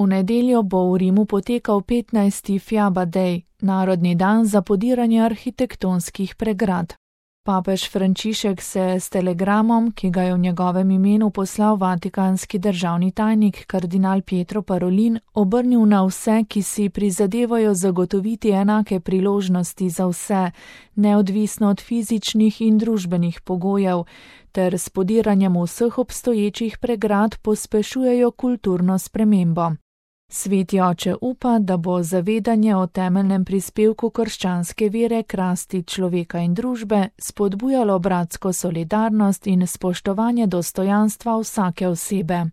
V nedeljo bo v Rimu potekal 15. Fiaba Day, narodni dan za podiranje arhitektonskih pregrad. Papež Frančišek se s telegramom, ki ga je v njegovem imenu poslal vatikanski državni tajnik kardinal Pietro Parolin, obrnil na vse, ki si prizadevajo zagotoviti enake priložnosti za vse, neodvisno od fizičnih in družbenih pogojev, ter s podiranjem vseh obstoječih pregrad pospešujejo kulturno spremembo. Sveti oče upa, da bo zavedanje o temeljnem prispevku krščanske vere k rasti človeka in družbe spodbujalo bratsko solidarnost in spoštovanje dostojanstva vsake osebe.